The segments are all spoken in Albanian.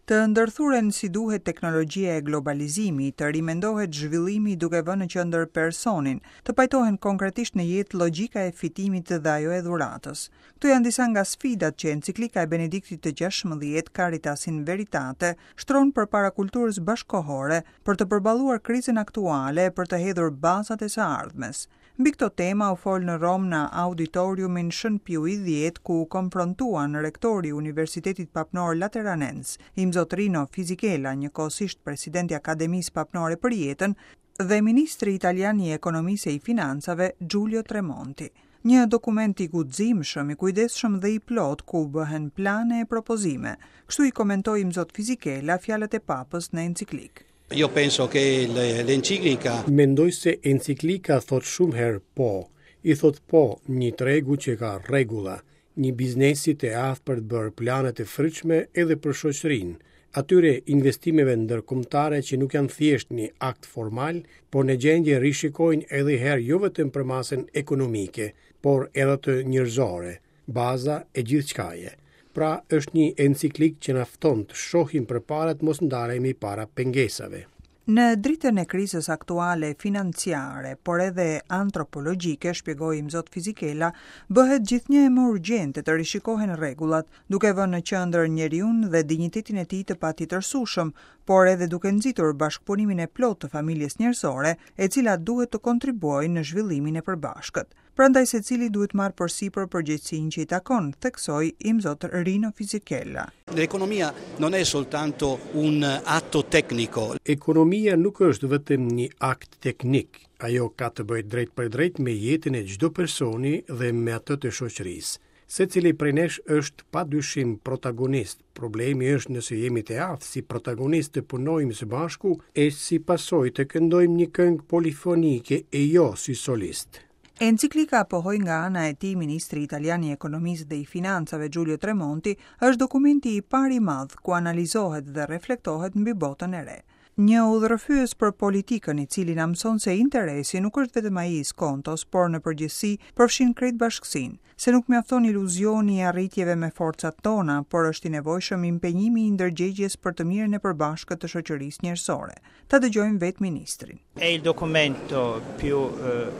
Të ndërthuren si duhet teknologjia e globalizimi, të rimendohet zhvillimi duke vënë në qendër personin, të pajtohen konkretisht në jetë logjika e fitimit dhe ajo e dhuratës. Këto janë disa nga sfidat që enciklika e Benediktit të XVI, Caritas in Veritate, shtron përpara kulturës bashkëkohore për të përballuar krizën aktuale e për të hedhur bazat e së ardhmes. Mbi këto tema u fol në Romë në Auditoriumin Shën Piu i Dhjetë ku u konfrontuan rektori i Universitetit Papnor Lateranens, Imzot Rino Fisichella, njëkohësisht president i Akademisë Papnore për Jetën, dhe ministri italian i Ekonomisë e i Financave, Giulio Tremonti. Një dokument i guximshëm, i kujdesshëm dhe i plotë ku bëhen plane e propozime. Kështu i komentoi Imzot Fisichella fjalët e Papës në enciklikë. Io penso che l'enciclica Mendoj se enciklika thotë shumë herë po. I thotë po një tregu që ka rregulla, një biznesi të aftë për të bërë plane të frytshme edhe për shoqërinë, atyre investimeve ndërkombëtare që nuk janë thjesht një akt formal, por në gjendje rishikojnë edhe herë jo vetëm përmasën ekonomike, por edhe të njerëzore. Baza e gjithçkaje. Pra, është një enciklikë që na fton të shohim përpara të mos ndalemi para pengesave. Në dritën e krizës aktuale financiare, por edhe antropologjike, shpjegoi Imzot Fisichella, bëhet gjithnjë e më urgjente të rishikohen rregullat, duke vënë në qendër njeriun dhe dinjitetin e tij të patjetërsueshëm, por edhe duke nxitur bashkëpunimin e plotë të familjes njerëzore, e cila duhet të kontribuojë në zhvillimin e përbashkët. Prandaj secili duhet të marrë përsipër përgjegjësinë që i takon, theksoi Imzot Rino Fisichella. L'economia non è soltanto un atto tecnico. Ekonomia nuk është vetëm një akt teknik, ajo ka të bëjë drejtpërdrejt me jetën e çdo personi dhe me atë të shoqërisë. Secili prej nesh është pa dyshim protagonist, problemi është nëse jemi të aftë si protagonistë të punojmë së bashku e si pasojë të këndojmë një këngë polifonike e jo si solistë. Enciklika, pohoi nga ana e tij ministri italian i Ekonomisë dhe i Financave Giulio Tremonti, është dokumenti i parë i madh ku analizohet dhe reflektohet mbi botën e re. Një udhërrëfyes për politikën i cili na mëson se interesi nuk është vetëm ai i skontos, por në përgjithësi përfshin krejt bashkësinë, se nuk mjafton iluzioni i arritjeve me forcat tona, por është i nevojshëm impenjimi i ndërgjegjes për të mirën e përbashkët të shoqërisë njerëzore. Ta dëgjojmë vetë ministrin. È il documento più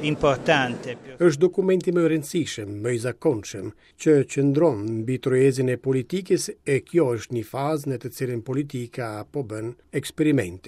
importante, più. Është dokumenti më i rëndësishëm, më i zakonshëm, që qëndron mbi tryezën e politikës e kjo është një fazë në të cilën politika po bën eksperimente.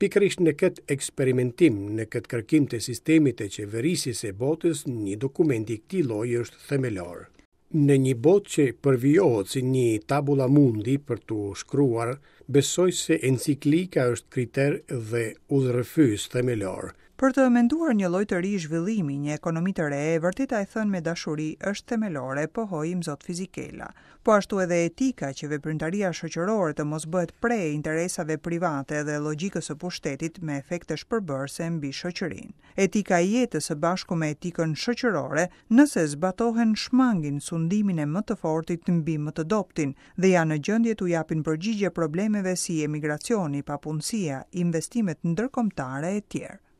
Pikërisht në këtë eksperimentim, në këtë kërkim të sistemit të qeverisjes së botës, një dokument i këtij lloji është themelor. Në një botë që përvijohet si një tabula mundi për t'u shkruar, besoj se enciklika është kriter dhe udhërrëfyes themelor. Për të menduar një lloj të ri zhvillimi, një ekonomi të re, e vërteta e thënë me dashuri është themelore, pohoi Imzot Fisichella. Po ashtu edhe etika, që veprimtaria shoqërore të mos bëhet pre e interesave private dhe logjikës së pushtetit me efekte shpërbërëse mbi shoqërinë. Etika e jetës së bashku me etikën shoqërore, nëse zbatohen shmangin sundimin e më të fortit mbi më të dobëtin dhe janë në gjendje t'u japin përgjigje problemeve si emigracioni, papunësia, investimet ndërkombëtare etj.